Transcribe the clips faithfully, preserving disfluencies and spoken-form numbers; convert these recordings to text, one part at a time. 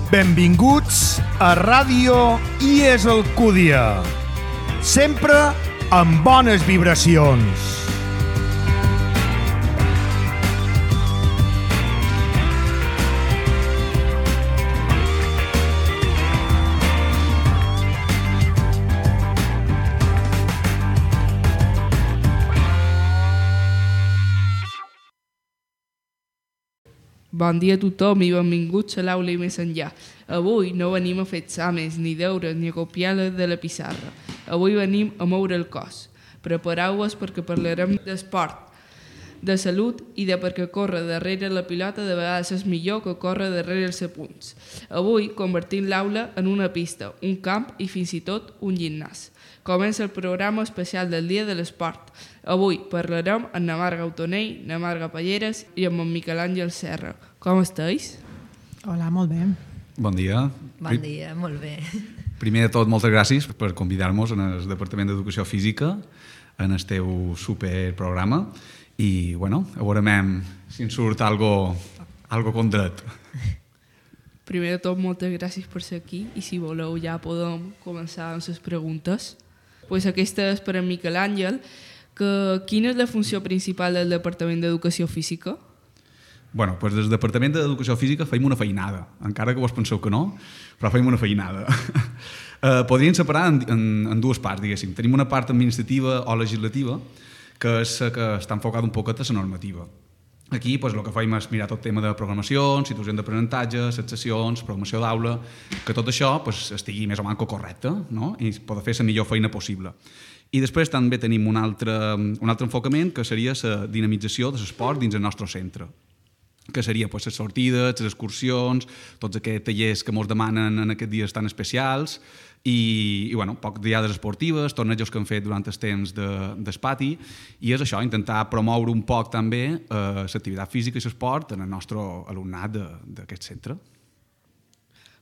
Benvinguts a Ràdio I E S Alcúdia. Sempre amb bones vibracions. Bon dia a tothom i benvinguts a l'aula i més enllà. Avui no venim a fer exàmens, ni deures, ni a copiar-les de la pissarra. Avui venim a moure el cos. Prepareu-vos perquè parlarem d'esport, de salut i de perquè córrer darrere la pilota de vegades és millor que córrer darrere els apunts. Avui convertim l'aula en una pista, un camp i fins i tot un gimnàs. Comença el programa especial del Dia de l'Esport. Avui parlarem amb na Marga Autonell, na Marga Palleres i amb en Miquel Àngel Serra. Com esteu? Hola, molt bé. Bon dia. Bon dia, molt bé. Primer de tot, moltes gràcies per convidar-nos en el Departament d'Educació Física en el teu superprograma i, bueno, a veurem si ens surt algo, algo condret. Primer de tot, moltes gràcies per ser aquí i si voleu ja podem començar amb les preguntes. Pues aquesta és per a Miquel Àngel, que quina és la funció principal del Departament d'Educació Física? Bueno, doncs des del Departament d'Educació Física feim una feinada, encara que vos penseu que no, però feim una feinada. eh, podríem separar en, en, en dues parts, diguéssim. Tenim una part administrativa o legislativa, que és que està enfocada un poquet a la normativa. Aquí doncs, el que fem és mirar tot tema de programacions, situacions d'aprenentatge, les sessions, programació d'aula, que tot això doncs, estigui més o menys correcte, no? I poder fer la millor feina possible. I després també tenim un altre, un altre enfocament que seria la dinamització de l'esport dins el nostre centre, que seria pues, les sortides, les excursions, tots aquests tallers que ens demanen en aquests dies tan especials i, i bueno, poc diades esportives, tornejos que hem fet durant el temps de, del pati i és això, intentar promoure un poc també eh, l'activitat física i l'esport en el nostre alumnat d'aquest centre.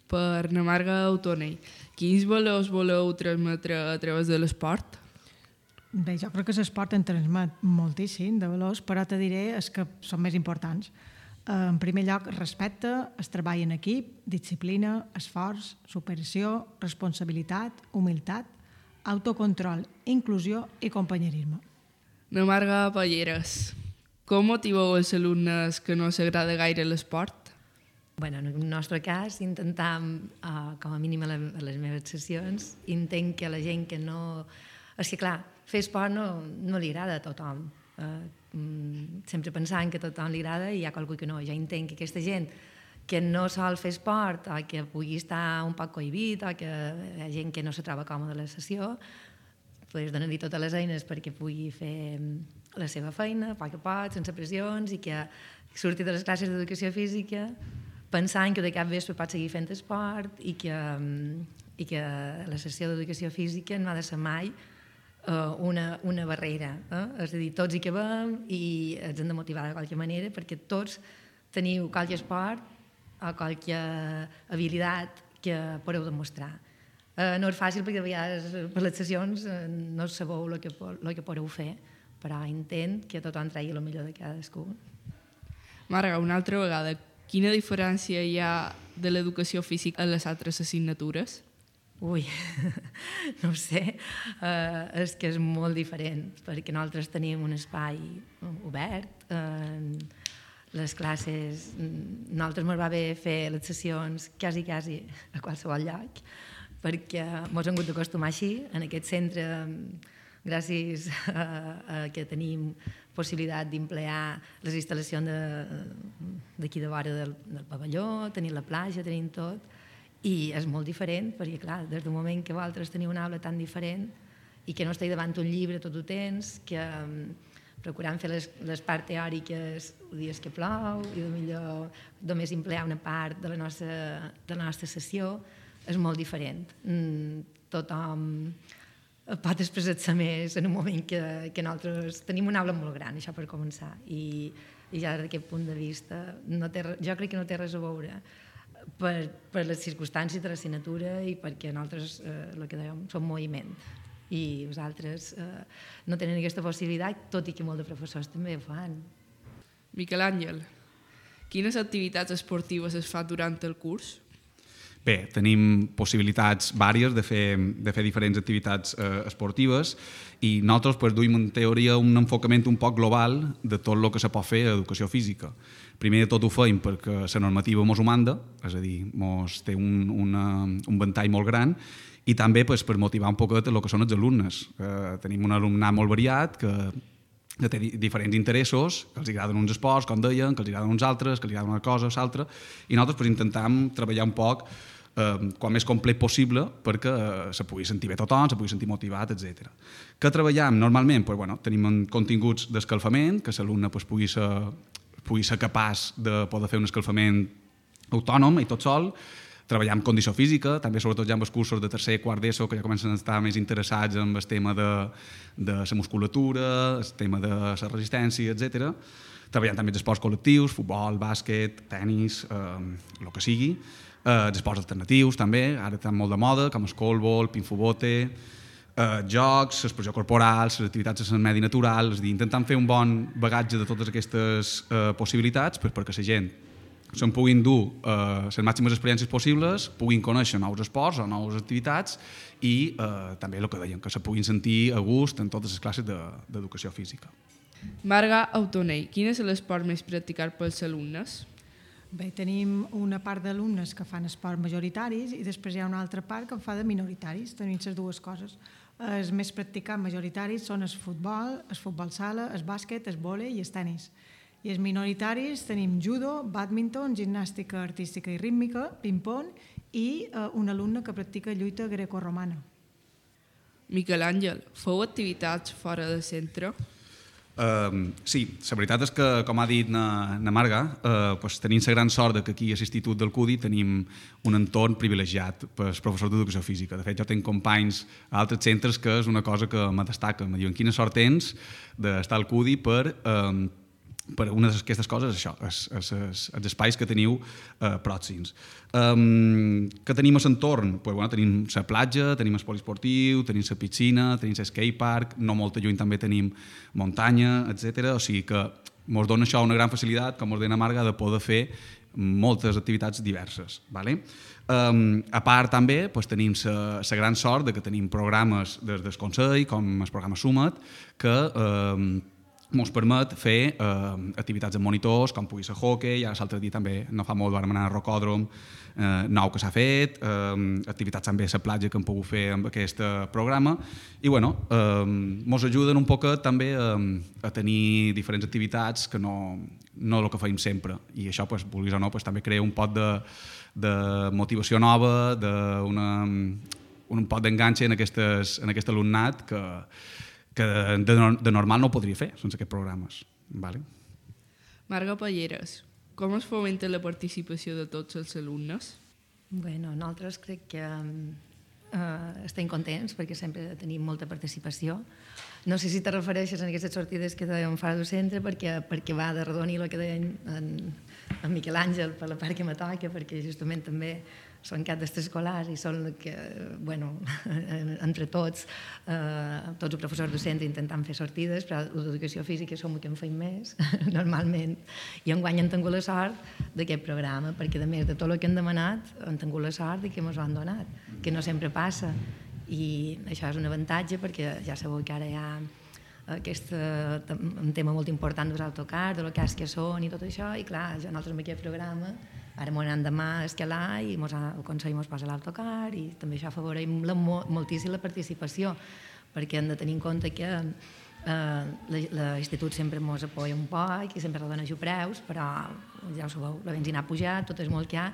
Per na Marga Autonell, quins valors voleu transmetre a través de l'esport? Bé, jo crec que l'esport en transmet moltíssim de valors, però te diré els que són més importants. En primer lloc, respecte, el treball en equip, disciplina, esforç, superació, responsabilitat, humilitat, autocontrol, inclusió i companyerisme. Na Marga Palleres, com motiveu els alumnes que no s'agrada gaire l'esport? Bueno, en el nostre cas, intentam, uh, com a mínim a les meves sessions, intent que la gent que no... És que, clar, fer esport no, no li agrada a tothom. Uh, sempre pensant que a tothom li agrada i hi ha qualcú que no. Jo entenc que aquesta gent que no sol fer esport o que pugui estar un poc cohibit o que hi ha gent que no se troba còmoda a la sessió, pues donar-li totes les eines perquè pugui fer la seva feina a poc a poc, sense pressions i que surti de les classes d'educació física pensant que de cap vespre pot seguir fent esport i que, i que la sessió d'educació física no ha de ser mai Una, una barrera. Eh? És a dir, tots hi cabem i ens hem de motivar de qualque manera perquè tots teniu qualque esport o qualque habilitat que podeu demostrar. Eh, no és fàcil perquè a vegades per les sessions eh, no sabeu el que, el que podeu fer, però intent que tothom tregui el millor de cadascú. Marga, una altra vegada, quina diferència hi ha de l'educació física en les altres assignatures? Ui, no ho sé, uh, és que és molt diferent, perquè nosaltres tenim un espai obert, uh, les classes, nosaltres ens va bé fer les sessions quasi, quasi a qualsevol lloc, perquè ens hem hagut d'acostumar així, en aquest centre, gràcies a, a que tenim possibilitat d'emplear les instal·lacions d'aquí de vora del, del pavelló, tenim la platja, tenim tot, i és molt diferent, perquè clar, des del moment que vosaltres teniu una aula tan diferent i que no esteu davant un llibre tot el temps, que um, procurant fer les, les parts teòriques els dies que plou i millor només emplear una part de la nostra, de la nostra sessió, és molt diferent. Mm, tothom pot expressar-se més en un moment que, que nosaltres tenim una aula molt gran, això per començar, i, i ja d'aquest punt de vista no té, jo crec que no té res a veure Per, per les circumstàncies de l'assignatura i perquè nosaltres, eh, el que dèiem, som moviment i vosaltres eh, no tenen aquesta possibilitat, tot i que molts de professors també ho fan. Miquel Àngel, quines activitats esportives es fan durant el curs? Bé, tenim possibilitats vàries de fer, de fer diferents activitats eh, esportives i nosaltres pues, duim en teoria un enfocament un poc global de tot el que se pot fer a educació física. Primer de tot ho feim perquè la normativa mos ho manda, és a dir, mos té un, una, un ventall molt gran, i també pues, per motivar un poquet el que són els alumnes. Eh, tenim un alumnat molt variat que, que té diferents interessos, que els agraden uns esports, com deien, que els agraden uns altres, que els agraden una cosa o l'altra, i nosaltres pues, intentam treballar un poc eh, quan més complet possible perquè eh, se pugui sentir bé tothom, se pugui sentir motivat, etcètera. Què treballem? Normalment pues, bueno, tenim continguts d'escalfament, que l'alumne pues, pugui, ser, pugui ser capaç de poder fer un escalfament autònom i tot sol. Treballar amb condició física, també sobretot ja amb els cursos de tercer i quart d'ESO, que ja comencen a estar més interessats en el tema de, de la musculatura, el tema de la resistència, etcètera. Treballant també els esports col·lectius, futbol, bàsquet, tennis, eh, el que sigui. Eh, els esports alternatius també, ara estan molt de moda, com el colbol, pinfobote, eh, jocs, l'expressió corporal, les activitats en el medi natural, és a dir, intentant fer un bon bagatge de totes aquestes eh, possibilitats per, perquè la gent se'n puguin dur eh, les màximes experiències possibles, puguin conèixer nous esports o noves activitats i eh, també el que dèiem, que se puguin sentir a gust en totes les classes d'educació de, física. Marga Autonell, quin és l'esport més practicat pels alumnes? Bé, tenim una part d'alumnes que fan esports majoritaris i després hi ha una altra part que en fa de minoritaris, tenim les dues coses. Els més practicats majoritaris són el futbol, el futbol sala, el bàsquet, el vòlei i el tenis. I els minoritaris tenim judo, bàdminton, gimnàstica artística i rítmica, ping-pong i eh, un alumne que practica lluita grecorromana. Miquel Àngel, feu activitats fora del centre? Uh, sí, la veritat és que, com ha dit na, na Marga, uh, pues, tenim la gran sort que aquí a l'Institut del C U D I tenim un entorn privilegiat pels professors d'educació física. De fet, jo tinc companys a altres centres que és una cosa que me destaca. Me diuen, quina sort tens d'estar al C U D I per... Uh, per una d'aquestes coses, això, els, els, els espais que teniu eh, pròxims. Um, que tenim a l'entorn? Pues, bueno, tenim la platja, tenim el poliesportiu, tenim la piscina, tenim el skatepark, no molt lluny també tenim muntanya, etcètera. O sigui que ens dona això una gran facilitat, com us deia Marga, de poder fer moltes activitats diverses. Vale? Um, a part també pues, tenim la gran sort de que tenim programes des del Consell, com el programa Sumat, que um, ens permet fer eh, activitats amb monitors, com pugui ser hockey, ara l'altre dia també, no fa molt, vam anar a Rocòdrom, eh, nou que s'ha fet, eh, activitats també a la platja que hem pogut fer amb aquest programa, i bueno, eh, ens ajuden un poc també a, a tenir diferents activitats que no, no el que feim sempre, i això, pues, vulguis o no, pues, també crea un pot de, de motivació nova, de una, un pot d'enganxe en, aquestes, en aquest alumnat que que de, de normal no ho podria fer sense aquests programes. Vale? Marga Palleres, com es fomenta la participació de tots els alumnes? Bueno, nosaltres crec que eh, estem contents perquè sempre tenim molta participació. No sé si te refereixes a aquestes sortides que dèiem fora del centre perquè, perquè va de redonir el que deien en, en Miquel Àngel per la part que me toca, perquè justament també són cap d'escolars i són que, bueno, entre tots, eh, tots els professors de centre intentant fer sortides, però l'educació física som el que en feim més, normalment. I enguany hem tingut la sort d'aquest programa, perquè a més de tot el que hem demanat, hem tingut la sort que ens ho han donat, que no sempre passa. I això és un avantatge perquè ja sabeu que ara hi ha aquest, un tema molt important dels autocars, de lo que és que són i tot això, i clar, ja nosaltres amb aquest programa ara m'ho anem demà a escalar i mos ha, el Consell ens posa l'autocar i també això afavoreix la, moltíssim la participació, perquè hem de tenir en compte que eh, l'institut sempre ens apoya un poc i sempre dona preus, però ja ho sabeu, la benzina ha pujat, tot és molt que hi ha,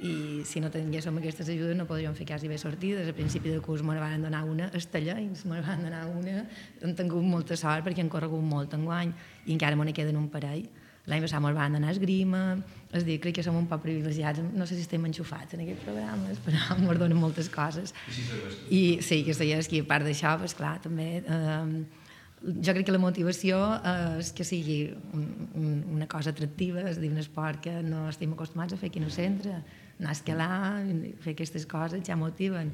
i si no tinguéssim aquestes ajudes no podríem fer quasi bé sortides. Al principi del curs me'n van donar una, Estellencs me'n van donar una, hem tingut molta sort perquè hem corregut molt enguany i encara me'n queden un parell. L'any passat me'n van donar esgrima, és a dir, crec que som un poc privilegiats, no sé si estem enxufats en aquests programes, però ens donen moltes coses. I sí, que és que a part d'això, doncs clar, també... Eh, jo crec que la motivació és que sigui un, un, una cosa atractiva, és a dir, un esport que no estem acostumats a fer aquí en el centre, anar a escalar, fer aquestes coses ja motiven.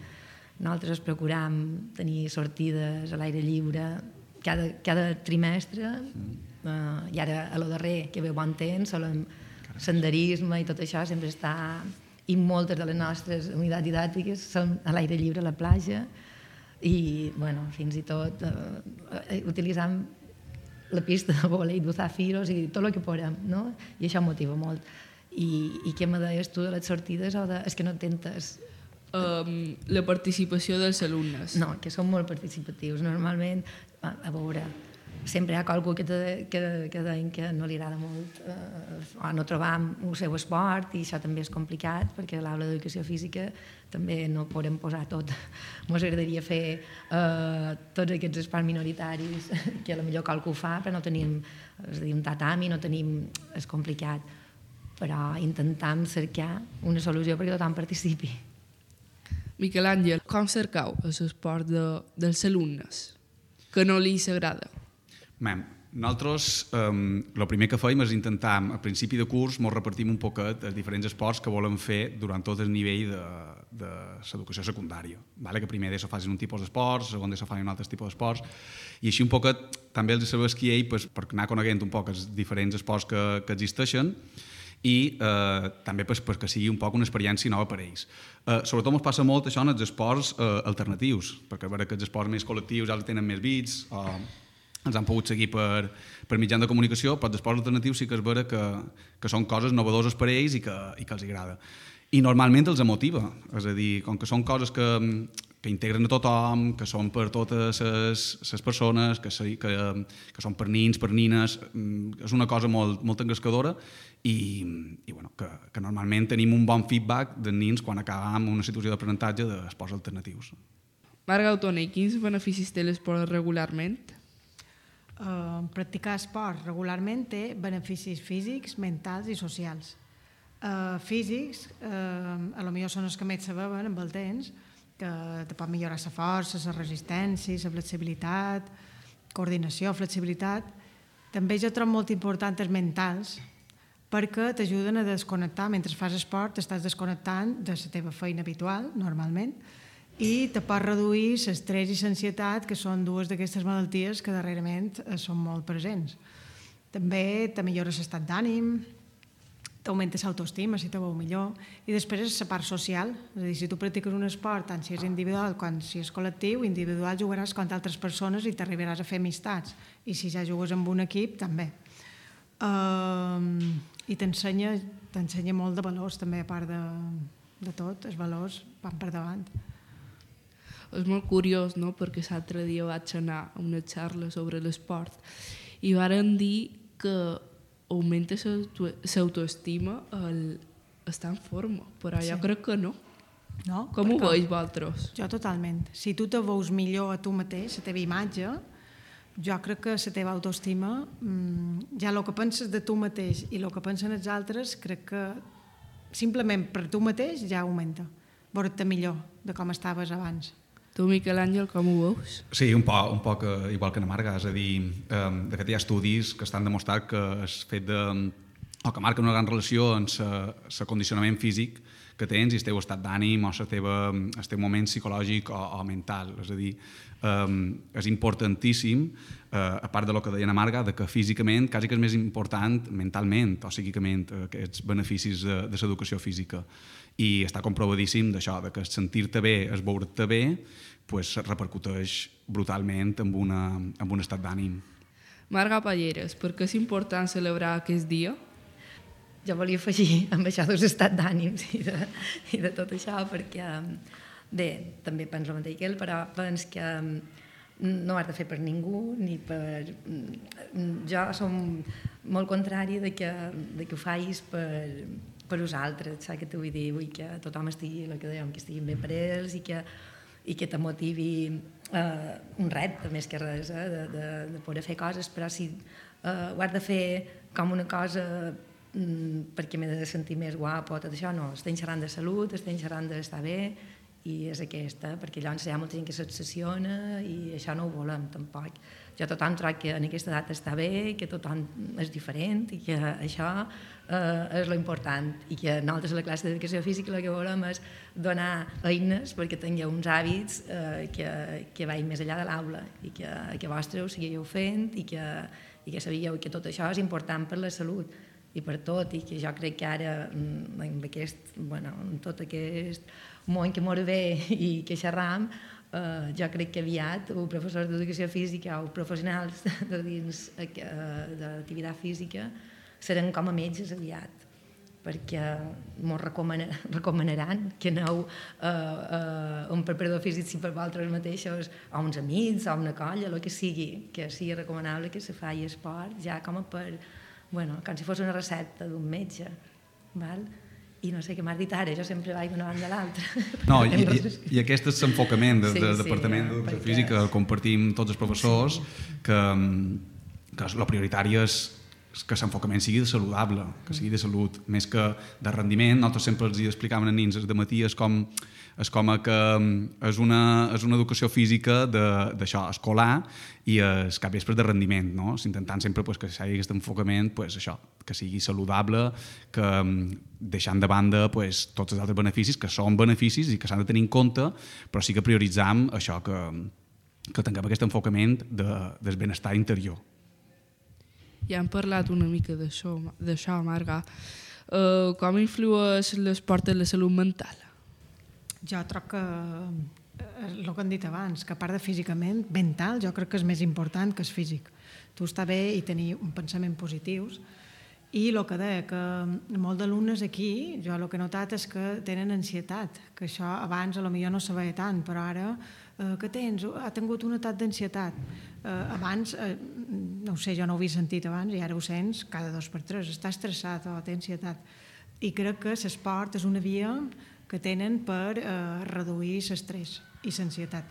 Nosaltres procuram tenir sortides a l'aire lliure cada, cada trimestre, Uh, i ara a lo darrer que ve bon temps, el senderisme i tot això sempre està i moltes de les nostres unitats didàctiques són a l'aire lliure a la platja i, bueno, fins i tot eh, utilitzant la pista de volei d'usar firos i tot el que podem, no? I això motiva molt. I, i què me deies tu de les sortides o de... És que no tentes... Um, la participació dels alumnes. No, que són molt participatius. Normalment, a, a veure, sempre hi ha qualcú que, te, que, que deien que no li agrada molt eh, o no trobam el seu esport i això també és complicat perquè a l'aula d'educació física també no podem posar tot. Ens agradaria fer eh, tots aquests esports minoritaris que potser qualcú fa però no tenim, és a dir, un tatami, no tenim... És complicat, però intentam cercar una solució perquè tothom participi. Miquel Àngel, com cercau l'esport de, dels alumnes que no li s'agrada? Bé, nosaltres el eh, primer que fèiem és intentar, a principi de curs, ens repartim un poquet els diferents esports que volem fer durant tot el nivell de, de l'educació secundària. Vale? Que primer d'ESO facin un tipus d'esports, segon d'ESO facin un altre tipus d'esports, i així un poquet també els serveix que ell pues, per anar coneguent un poc els diferents esports que, que existeixen i eh, també pues, perquè sigui un poc una experiència nova per a ells. Eh, sobretot ens passa molt això en els esports eh, alternatius, perquè a veure que els esports més col·lectius ja els tenen més bits, o els han pogut seguir per, per mitjans de comunicació, però els esports alternatius sí que és vera que, que són coses novedoses per a ells i que, i que els agrada. I normalment els motiva, és a dir, com que són coses que, que integren a tothom, que són per totes les persones, que, que, que són per nins, per nines, és una cosa molt, molt engrescadora i, i bueno, que, que normalment tenim un bon feedback dels nins quan acabem una situació d'aprenentatge d'esports alternatius. Marga Autoner, quins beneficis té l'esport regularment? Uh, practicar esport regularment té beneficis físics, mentals i socials. Uh, físics, uh, a lo millor són els que més saben amb el temps, que te pot millorar la força, la resistència, la flexibilitat, coordinació, flexibilitat. També jo trobo molt importants els mentals, perquè t'ajuden a desconnectar. Mentre fas esport t'estàs desconnectant de la teva feina habitual, normalment, i te pot reduir l'estrès i l'ansietat, que són dues d'aquestes malalties que darrerament són molt presents. També te millora l'estat d'ànim, t'augmenta l'autoestima si te veu millor, i després és la part social, és a dir, si tu practiques un esport, tant si és individual com si és col·lectiu, individual jugaràs contra altres persones i t'arribaràs a fer amistats, i si ja jugues amb un equip, també. Uh, I t'ensenya t'ensenya molt de valors, també, a part de, de tot, els valors van per davant. És molt curiós, no?, perquè l'altre dia vaig anar a una xarra sobre l'esport i varen dir que augmenta l'autoestima el estar en forma, però jo Sí. crec que no. No? Com ho Perquè veus vosaltres? Jo totalment. Si tu te veus millor a tu mateix, la teva imatge, jo crec que la teva autoestima, ja el que penses de tu mateix i el que pensen els altres, crec que simplement per tu mateix ja augmenta. Veure't millor de com estaves abans. Tu, Miquel Àngel, com ho veus? Sí, un poc, un poc igual que na Marga, és a dir, de fet hi ha estudis que estan demostrat que el fet de, o que marquen una gran relació amb el condicionament físic que tens i el teu estat d'ànim o el teu, el teu moment psicològic o, o mental. És a dir, um, és importantíssim, uh, a part de lo que deia na Marga, de que físicament quasi que és més important mentalment o psíquicament aquests beneficis de, de l'educació física. I està comprovadíssim d'això, de que sentir-te bé, es veure't bé, pues, repercuteix brutalment amb, una, amb un estat d'ànim. Marga Palleres, per què és important celebrar aquest dia? Jo volia afegir amb això dels estats d'ànims i, de, i de tot això, perquè bé, també penso el mateix que ell, però penso que no ho has de fer per ningú, ni per... Jo som molt contrari de que, de que ho facis per, per vosaltres, saps què t'ho vull dir? Vull que tothom estigui, el que dèiem, que estiguin bé per ells i que, i que te motivi eh, un repte, més que res, eh, de, de, de poder fer coses, però si eh, ho has de fer com una cosa mm, perquè m'he de sentir més guapo, tot això, no, estem xerrant de salut, estem xerrant d'estar bé, i és aquesta, perquè llavors hi ha molta gent que s'obsessiona i això no ho volem tampoc. Jo tothom trobo que en aquesta edat està bé, que tothom és diferent i que això eh, és lo important i que nosaltres a la classe d'educació física el que volem és donar eines perquè tingueu uns hàbits eh, que, que vagin més enllà de l'aula i que, que vostres ho seguiu fent i que, i que sabíeu que tot això és important per la salut. i per tot, i que jo crec que ara, en, aquest, bueno, en tot aquest món que mos ve i que xerram, eh, jo crec que aviat els professors d'educació física o professionals de dins eh, d'activitat física seran com a metges aviat, perquè ens recomana, recomanaran que aneu a, a un preparador físic si per vosaltres mateixos, a uns amics, a una colla, el que sigui, que sigui recomanable que se faci esport, ja com a per, bueno, com si fos una recepta d'un metge, val? I no sé què m'has dit ara, jo sempre vaig d'una banda a l'altra. No, i, i, i aquest és l'enfocament del, sí, del sí, Departament ja, d'Educació perquè... Física, el compartim tots els professors, sí. que, que la prioritària és que l'enfocament sigui saludable, que sigui de salut, més que de rendiment. Nosaltres sempre els explicàvem a nins de matí, és com, és com que és una, és una educació física d'això, escolar, i és cap vespre de rendiment, no? Intentant sempre pues, que hi hagi aquest enfocament, pues, això, que sigui saludable, que deixant de banda pues, tots els altres beneficis, que són beneficis i que s'han de tenir en compte, però sí que prioritzam això, que, que tinguem aquest enfocament de, del benestar interior. Ja hem parlat una mica d'això, d'això Marga. Uh, com influeix l'esport en la salut mental? Jo troc que, el que hem dit abans, que a part de físicament, mental, jo crec que és més important que és físic. Tu està bé i tenir un pensament positius, i el que deia, que molts d'alumnes aquí, jo el que he notat és que tenen ansietat, que això abans a lo millor no se veia tant, però ara, eh, que tens? Ha tingut un atac d'ansietat. Eh, abans, eh, no ho sé, jo no ho havia sentit abans, i ara ho sents cada dos per tres, està estressat o té ansietat. I crec que l'esport és una via que tenen per eh, reduir l'estrès i l'ansietat.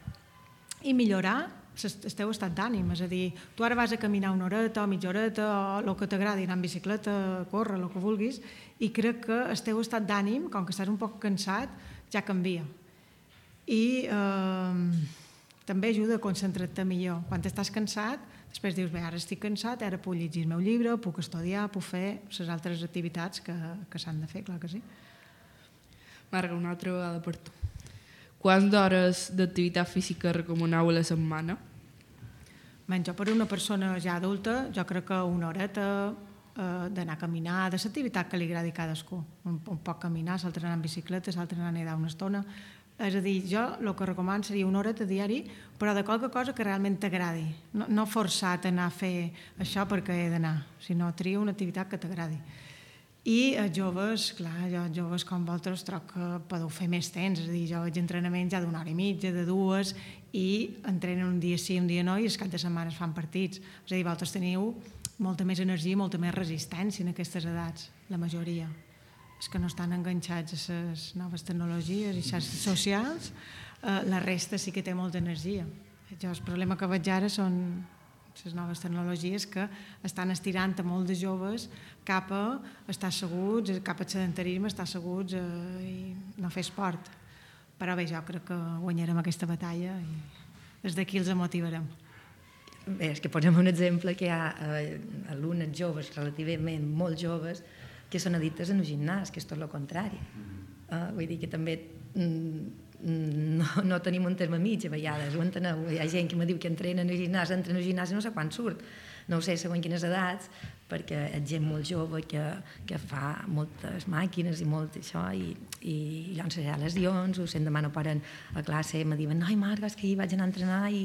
I millorar el teu estat d'ànim, és a dir, tu ara vas a caminar una horeta o mitja horeta o el que t'agradi, anar en bicicleta, córrer, el que vulguis, i crec que el teu estat d'ànim, com que estàs un poc cansat, ja canvia. I eh, també ajuda a concentrar-te millor. Quan estàs cansat, després dius, bé, ara estic cansat, ara puc llegir el meu llibre, puc estudiar, puc fer les altres activitats que, que s'han de fer, clar que sí. Marga, una altra vegada per tu. Quants d'hores d'activitat física recomaneu a la setmana? Ben, jo per una persona ja adulta, jo crec que una horeta eh, d'anar a caminar, de l'activitat que li agradi a cadascú. Un, un poc caminar, l'altre anar en bicicleta, l'altre anar a nedar una estona. És a dir, jo el que recomano seria una horeta diari, però de qualque cosa que realment t'agradi. No, no forçat a anar a fer això perquè he d'anar, sinó tria una activitat que t'agradi. I a joves, clar, jo joves com vosaltres troc que podeu fer més temps, és a dir, jo veig entrenaments ja d'una hora i mitja, de dues, i entrenen un dia sí, un dia no, i el cap de setmana es fan partits. És a dir, vosaltres teniu molta més energia, molta més resistència en aquestes edats, la majoria. És que no estan enganxats a les noves tecnologies i xarxes socials, eh, la resta sí que té molta energia. Jo el problema que veig ara són les noves tecnologies que estan estirant a molts de joves cap a estar asseguts, cap al sedentarisme, estar asseguts eh, i no fer esport. Però bé, jo crec que guanyarem aquesta batalla i des d'aquí els motivarem. Bé, és que posem un exemple que hi ha eh, alumnes joves, relativament molt joves, que són addictes en el gimnàs, que és tot el contrari. Eh, vull dir que també mm, no, no tenim un terme mig a vegades, ho enteneu? Hi ha gent que me diu que entrena en el gimnàs, entra en el gimnàs i no sé quan surt. No ho sé, segons quines edats, perquè és gent molt jove que, que fa moltes màquines i molt això, i, i llavors hi ha lesions, o si demà no paren a classe i me diuen, noi Marga, és que hi vaig anar a entrenar i...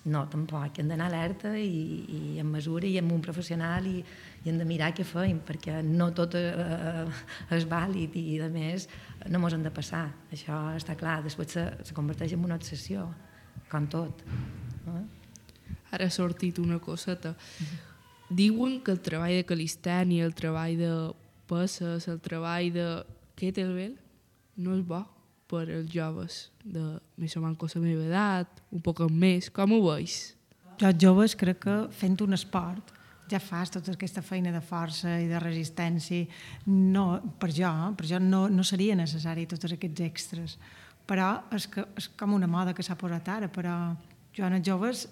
No, tampoc, hem d'anar alerta i, i en mesura i amb un professional i, i hem de mirar què feim, perquè no tot eh, és vàlid i, a més, no mos hem de passar. Això està clar, després se, se converteix en una obsessió, com tot. Eh? Ara ha sortit una coseta. Diuen que el treball de calistènia, el treball de peses, el treball de kettlebell no és bo per als joves de més o menys la meva edat, un poc més. Com ho veus? Jo, joves, crec que fent un esport ja fas tota aquesta feina de força i de resistència. No, per jo, per jo no, no seria necessari tots aquests extras. Però és, que, és com una moda que s'ha posat ara, però jo en els joves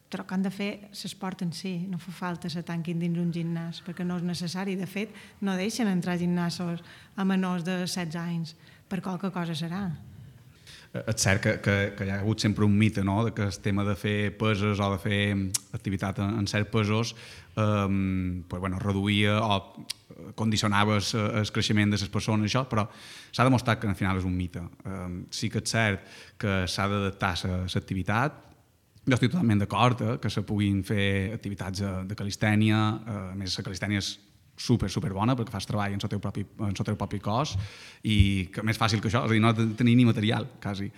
troc que han de fer l'esport en si, no fa falta se tanquin dins un gimnàs, perquè no és necessari. De fet, no deixen entrar a gimnasos a menors de setze anys, per qualque cosa serà. és cert que, que, que hi ha hagut sempre un mite, no?, de que el tema de fer peses o de fer activitat en, en certs pesos eh, pues, bueno, reduïa o condicionava el creixement de les persones, això, però s'ha demostrat que al final és un mite. Eh, sí que és cert que s'ha d'adaptar l'activitat. Jo estic totalment d'acord eh, que se puguin fer activitats de, de calistènia, eh, a més la calistènia és super, super bona perquè fas treball en el teu propi, en el teu propi cos i que més fàcil que això, és a dir, no tenir ni material, quasi.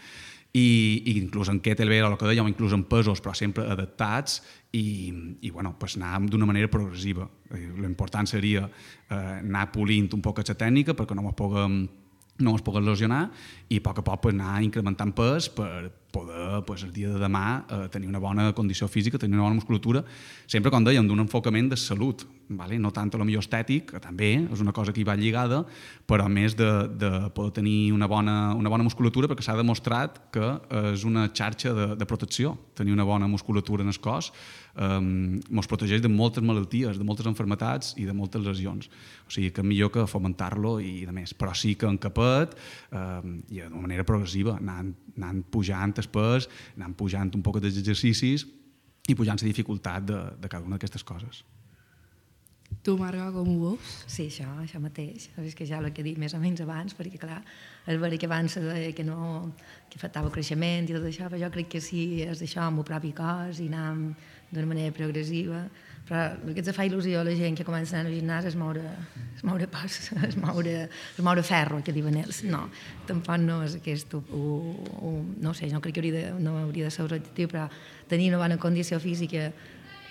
I, i inclús en kettlebell o el que dèiem, inclús en pesos, però sempre adaptats i, i bueno, pues anar d'una manera progressiva. L'important seria eh, anar polint un poc aquesta tècnica perquè no ens puguem no es pugui lesionar i a poc a poc pues, anar incrementant pes per poder pues, el dia de demà eh, tenir una bona condició física, tenir una bona musculatura, sempre, com dèiem, d'un enfocament de salut, vale? No tant a lo millor estètic, que també és una cosa que hi va lligada, però més de, de poder tenir una bona, una bona musculatura perquè s'ha demostrat que és una xarxa de, de protecció, tenir una bona musculatura en el cos ens um, protegeix de moltes malalties, de moltes enfermetats i de moltes lesions. O sigui que millor que fomentar-lo i de més. Però sí que en capet um, i d'una manera progressiva, anant, anant pujant el pes, anant pujant un poc dels exercicis i pujant la dificultat de, de cada una d'aquestes coses. Tu, Marga, com ho veus? Sí, això, això mateix. És que ja l'he dit més o menys abans, perquè, clar, és vera que abans se deia que no, que faltava creixement i tot això, però jo crec que sí, és això, amb el propi cos i anar d'una manera progressiva. Però el que ens fa il·lusió a la gent que comença a anar al gimnàs és moure, és moure pas, és moure, és moure ferro, que diuen ells. No, tampoc no és aquest, o, o, no sé, no crec que hauria de, no hauria de ser l'objectiu, però tenir una bona condició física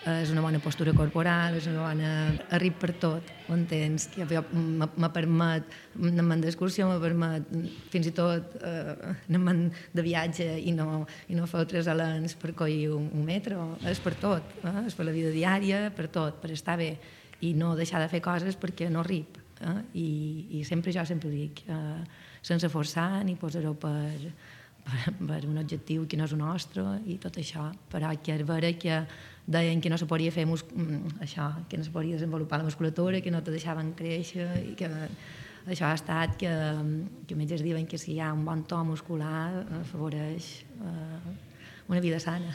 és una bona postura corporal, és una bona... arrib per tot, ho entens? Que me permet, anem d'excursió, me permet fins i tot eh, anem de viatge i no, i no fer tres alens per coir un, un metro, és per tot, eh? És per la vida diària, per tot, per estar bé i no deixar de fer coses perquè no arrib. Eh? I, I sempre jo sempre dic, eh, sense forçar ni posar-ho per, per, per un objectiu que no és el nostre i tot això, però que és vera que deien que no se podia fer mus... això, que no se podia desenvolupar la musculatura, que no te deixaven créixer i que això ha estat que, que metges diuen que si hi ha un bon to muscular afavoreix eh, una vida sana.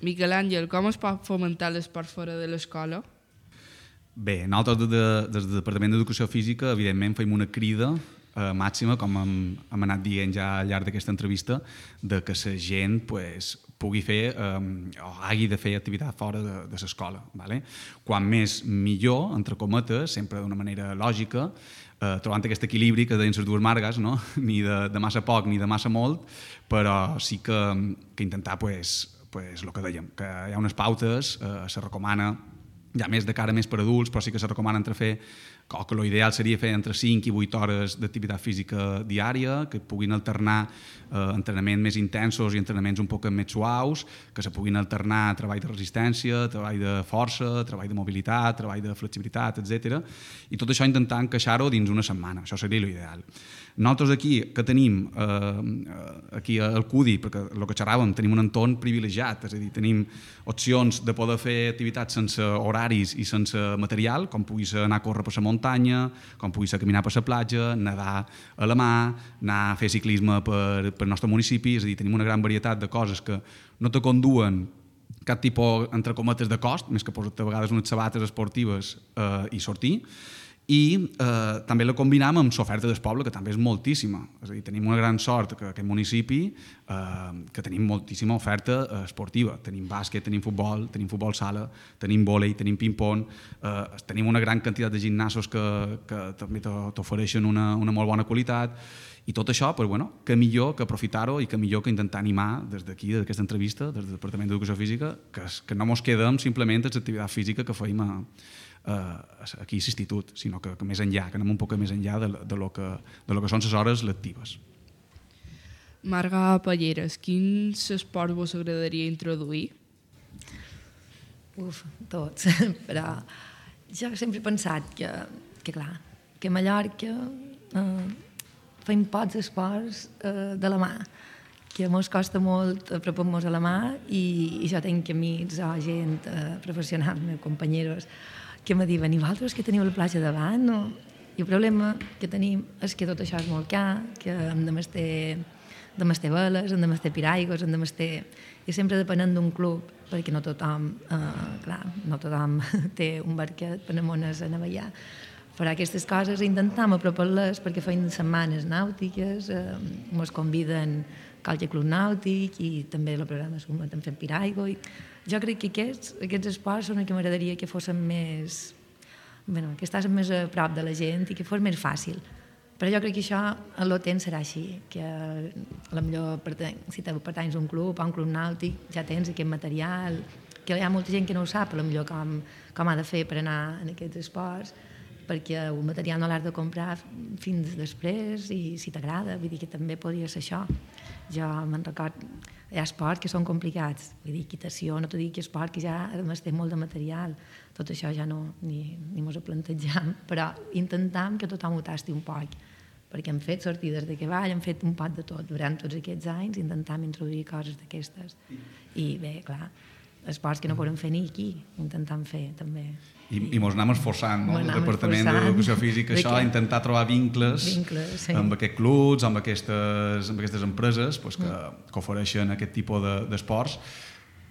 Miquel Àngel, com es pot fomentar l'esport fora de l'escola? Bé, nosaltres des de, des del Departament d'Educació Física evidentment fem una crida eh, màxima, com hem, hem anat dient ja al llarg d'aquesta entrevista, de que la gent pues, pugui fer eh, o hagi de fer activitat fora de, de l'escola. Vale? Quan més millor, entre cometes, sempre d'una manera lògica, eh, trobant aquest equilibri que deien les dues margues, no? Ni de, de massa poc ni de massa molt, però sí que, que intentar pues, pues, el que dèiem, que hi ha unes pautes, eh, se recomana ja més de cara més per adults, però sí que se recomana entre fer, o que l'ideal seria fer entre cinc i vuit hores d'activitat física diària, que puguin alternar eh, entrenaments més intensos i entrenaments un poc més suaus, que se puguin alternar treball de resistència, treball de força, treball de mobilitat, treball de flexibilitat, etcètera. I tot això intentar encaixar-ho dins una setmana, això seria l'ideal. Nosaltres aquí, que tenim eh, aquí al C U D I, perquè el que xerràvem, tenim un entorn privilegiat, és a dir, tenim opcions de poder fer activitats sense horaris i sense material, com pugui ser anar a córrer per la muntanya, com pugui ser caminar per la platja, nedar a la mà, anar a fer ciclisme per, per el nostre municipi, és a dir, tenim una gran varietat de coses que no te conduen cap tipus, entre cometes, de cost, més que posar-te a vegades unes sabates esportives eh, i sortir, i eh, també la combinam amb l'oferta del poble, que també és moltíssima. És a dir, tenim una gran sort que aquest municipi eh, que tenim moltíssima oferta eh, esportiva. Tenim bàsquet, tenim futbol, tenim futbol sala, tenim vòlei, tenim ping-pong, eh, tenim una gran quantitat de gimnasos que, que també t'ofereixen una, una molt bona qualitat. I tot això, pues, bueno, que millor que aprofitar-ho i que millor que intentar animar des d'aquí, des d'aquesta entrevista, des del Departament d'Educació Física, que, que no mos quedem simplement en l'activitat física que feim a, Uh, aquí a l'institut, sinó que, que més enllà, que anem un poc més enllà de, de, lo que, de lo que són les hores lectives. Marga Palleres, quins esports vos agradaria introduir? Uf, tots, però jo sempre he pensat que, que clar, que a Mallorca eh, fem pocs esports eh, de la mà, que mos costa molt apropar-nos a la mà i, i jo tenc amics o gent eh, professional, meus companyeros, que me diuen, i vosaltres que teniu la platja davant? No? I el problema que tenim és que tot això és molt car, que hem de mestir de mestre veles, hem de mestre piraigos, hem de mestre... I sempre depenent d'un club, perquè no tothom, eh, clar, no tothom té un barquet per amones a navegar. Farà aquestes coses i intentam apropar-les perquè feim setmanes nàutiques, eh, ens conviden a qualque club nàutic i també la programa Sumat hem fet piraigo. I jo crec que aquests, aquests esports són els que m'agradaria que fossin més... Bueno, que estàs més a prop de la gent i que fos més fàcil. Però jo crec que això a l'O T E N serà així, que a la millor si te pertanys a un club, a un club nàutic, ja tens aquest material, que hi ha molta gent que no ho sap, a la millor com, com ha de fer per anar en aquests esports, perquè el material no l'has de comprar fins després i si t'agrada, vull dir que també podria ser això. Jo me'n record, hi ha esports que són complicats, vull dir, equitació, no t'ho dic, que esport que ja a més té molt de material, tot això ja no, ni, ni mos ho plantejam, però intentam que tothom ho tasti un poc, perquè hem fet sortides de cavall, hem fet un pot de tot durant tots aquests anys, intentam introduir coses d'aquestes. I bé, clar, esports que no podem fer ni aquí, intentam fer també. I, i mos anem esforçant, no? El Departament d'Educació Física, això, que... intentar trobar vincles, vincles sí. amb aquests clubs, amb aquestes, amb aquestes empreses pues, que, mm. que ofereixen aquest tipus d'esports,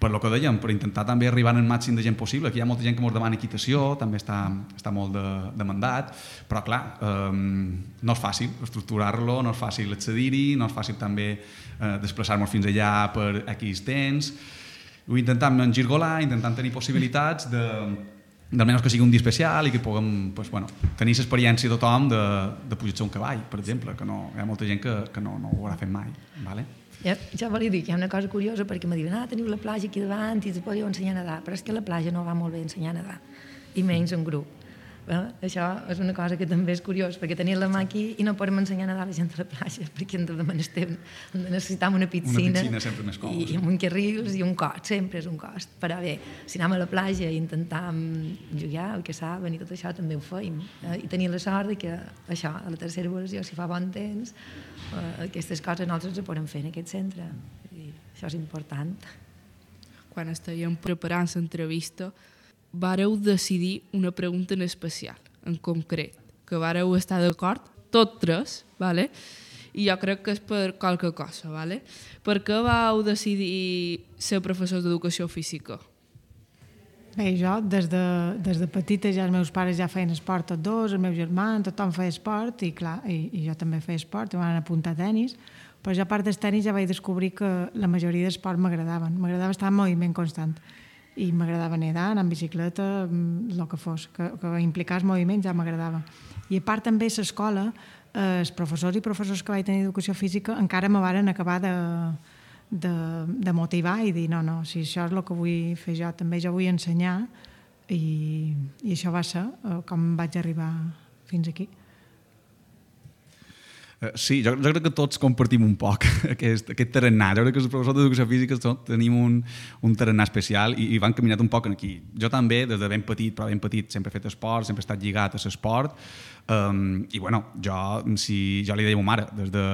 per lo que dèiem, per intentar també arribar al màxim de gent possible. Aquí hi ha molta gent que ens demana equitació, també està, està molt de, demandat, però clar, eh, no és fàcil estructurar-lo, no és fàcil accedir-hi, no és fàcil també eh, desplaçar-nos fins allà per X temps. Ho intentam engirgolar, intentant tenir possibilitats de d'almenys que sigui un dia especial i que puguem pues, bueno, tenir l'experiència de tothom de, de pujar-se un cavall, per exemple, que no, hi ha molta gent que, que no, no ho haurà fet mai. Vale? Ja, ja volia dir que hi ha una cosa curiosa perquè me diuen, ah, teniu la platja aquí davant i us podeu ensenyar a nedar, però és que la platja no va molt bé ensenyar a nedar, i menys en grup. Eh? Això és una cosa que també és curiós, perquè tenim la mà aquí i no podem ensenyar a nedar a la gent de la platja, perquè hem de necessitem una piscina, una piscina sempre més còmoda, i, i amb un carrils i un cost, sempre és un cost. Però bé, si anem a la platja i intentam jugar, el que saben i tot això també ho feim. Eh? I tenim la sort de que això, a la tercera evolució, si fa bon temps, eh, aquestes coses nosaltres les podem fer en aquest centre. I això és important. Quan estàvem preparant l'entrevista, vareu decidir una pregunta en especial, en concret, que vareu estar d'acord, tots tres, vale? I jo crec que és per qualque cosa. Vale? Per què vau decidir ser professors d'educació física? Bé, jo des de, des de petita ja els meus pares ja feien esport tots dos, el meu germà, tothom feia esport i clar, i, i jo també feia esport, i m'han apuntat a tenis, però jo a part del tenis ja vaig descobrir que la majoria d'esports m'agradaven, m'agradava estar en moviment constant. I m'agradava nedar, anar en bicicleta, el que fos, que, que implicar el moviment ja m'agradava. I a part també a l'escola, eh, els professors i professors que vaig tenir d'educació física encara me varen acabar de, de, de motivar i dir, no, no, si això és el que vull fer jo, també jo vull ensenyar, i, i això va ser eh, com vaig arribar fins aquí. Sí, jo, jo crec que tots compartim un poc aquest, aquest tarannà. Jo crec que els professors d'educació física tenim un, un tarannà especial i, i van caminat un poc aquí. Jo també, des de ben petit, però ben petit, sempre he fet esport, sempre he estat lligat a l'esport. Um, I bueno, jo, si, jo li deia a ma mare, des de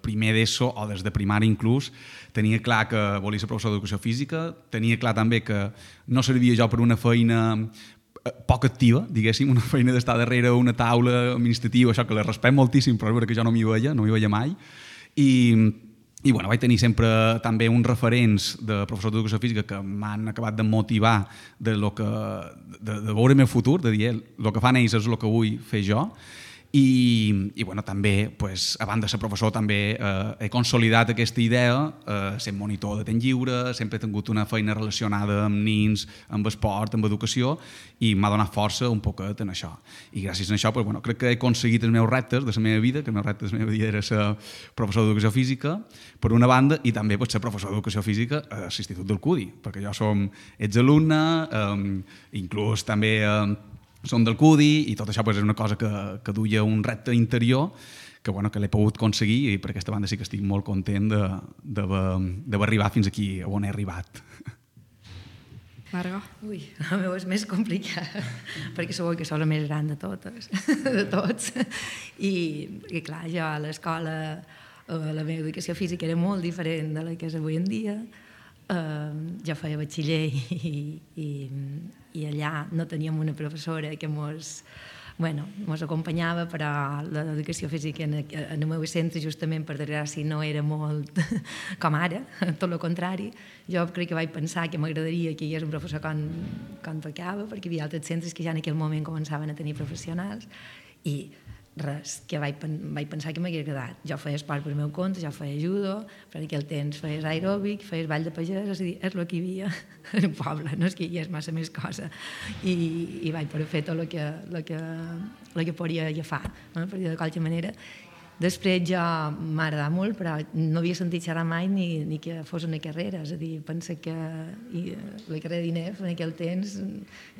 primer d'ESO o des de primària inclús, tenia clar que volia ser professor d'educació física, tenia clar també que no servia jo per una feina poc activa, diguéssim, una feina d'estar darrere una taula administrativa, això que la respecto moltíssim, però és veritat que jo no m'hi veia, no m'hi veia mai. I, i bueno, vaig tenir sempre també uns referents de professors d'educació física que m'han acabat de motivar de, lo que, de, de veure el meu futur, de dir, el que fan ells és el que vull fer jo. I, i bueno, també, pues, a banda de ser professor, també eh, he consolidat aquesta idea, eh, sent monitor de temps lliure, sempre he tingut una feina relacionada amb nins, amb esport, amb educació, i m'ha donat força un poquet en això. I gràcies a això, pues, bueno, crec que he aconseguit els meus reptes de la meva vida, que el meu repte de la meva vida era ser professor d'educació física, per una banda, i també pues, ser professor d'educació física a l'Institut del C U D I, perquè jo som exalumne, eh, inclús també... Eh, som del C U D I i tot això pues, és una cosa que, que duia un repte interior que, bueno, que l'he pogut aconseguir i per aquesta banda sí que estic molt content d'haver arribat fins aquí on he arribat. Marga? Ui, la meva és més complicada perquè segur que sou la més gran de totes, de tots. I, i clar, jo a l'escola la meva educació física era molt diferent de la que és avui en dia. Uh, jo feia batxiller i, i, i allà no teníem una professora que mos bueno, mos acompanyava, però l'educació física en, en el meu centre, justament per desgràcia, no era molt com ara, tot el contrari. Jo crec que vaig pensar que m'agradaria que hi hagués un professor com, com tocava, perquè hi havia altres centres que ja en aquell moment començaven a tenir professionals, i res, que vaig, vaig pensar que m'hagués agradat. Jo feia esport per meu compte, jo feia judo, per aquell temps feies aeròbic, feies ball de pagès, és a dir, és el que hi havia en el poble, no és que hi hagués massa més cosa. I, i vaig poder fer tot el que, el que, el que podia agafar, no? Per dir de qualsevol manera. Després jo m'ha agradat molt, però no havia sentit xerrar mai ni, ni que fos una carrera, és a dir, pensa que i, la carrera d'I N E F en aquell temps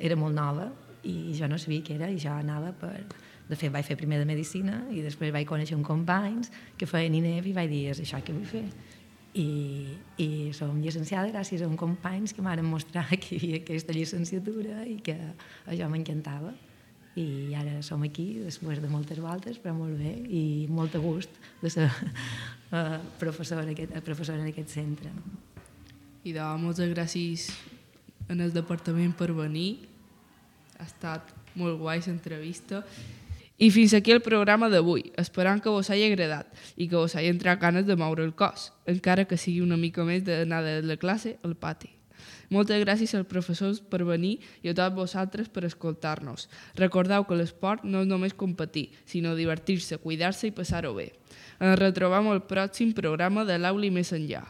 era molt nova i jo no sabia què era i jo anava per... De fet, vaig fer primer de Medicina i després vaig conèixer uns companys que feien I N E F i vaig dir, és això que vull fer. I, i som llicenciada gràcies a uns companys que m'han mostrat que hi havia aquesta llicenciatura i que això m'encantava. I ara som aquí, després de moltes voltes, però molt bé, i molt a gust de ser uh, professora, aquest, professora en aquest centre. I de moltes gràcies en el departament per venir. Ha estat molt guai l'entrevista. I fins aquí el programa d'avui, esperant que vos hagi agradat i que vos hagi entrat ganes de moure el cos, encara que sigui una mica més d'anar de la classe al pati. Moltes gràcies als professors per venir i a tots vosaltres per escoltar-nos. Recordeu que l'esport no és només competir, sinó divertir-se, cuidar-se i passar-ho bé. Ens retrobem al pròxim programa de l'Aula i més enllà.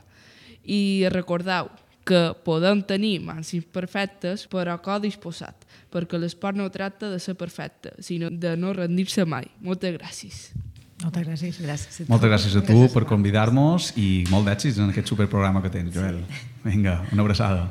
I recordeu que podem tenir mans imperfectes però cor disposat, perquè l'esport no tracta de ser perfecte, sinó de no rendir-se mai. Moltes gràcies. Moltes gràcies. Gràcies a tu. Moltes gràcies a tu per convidar-nos i molt d'èxits en aquest superprograma que tens, Joel. Vinga, una abraçada.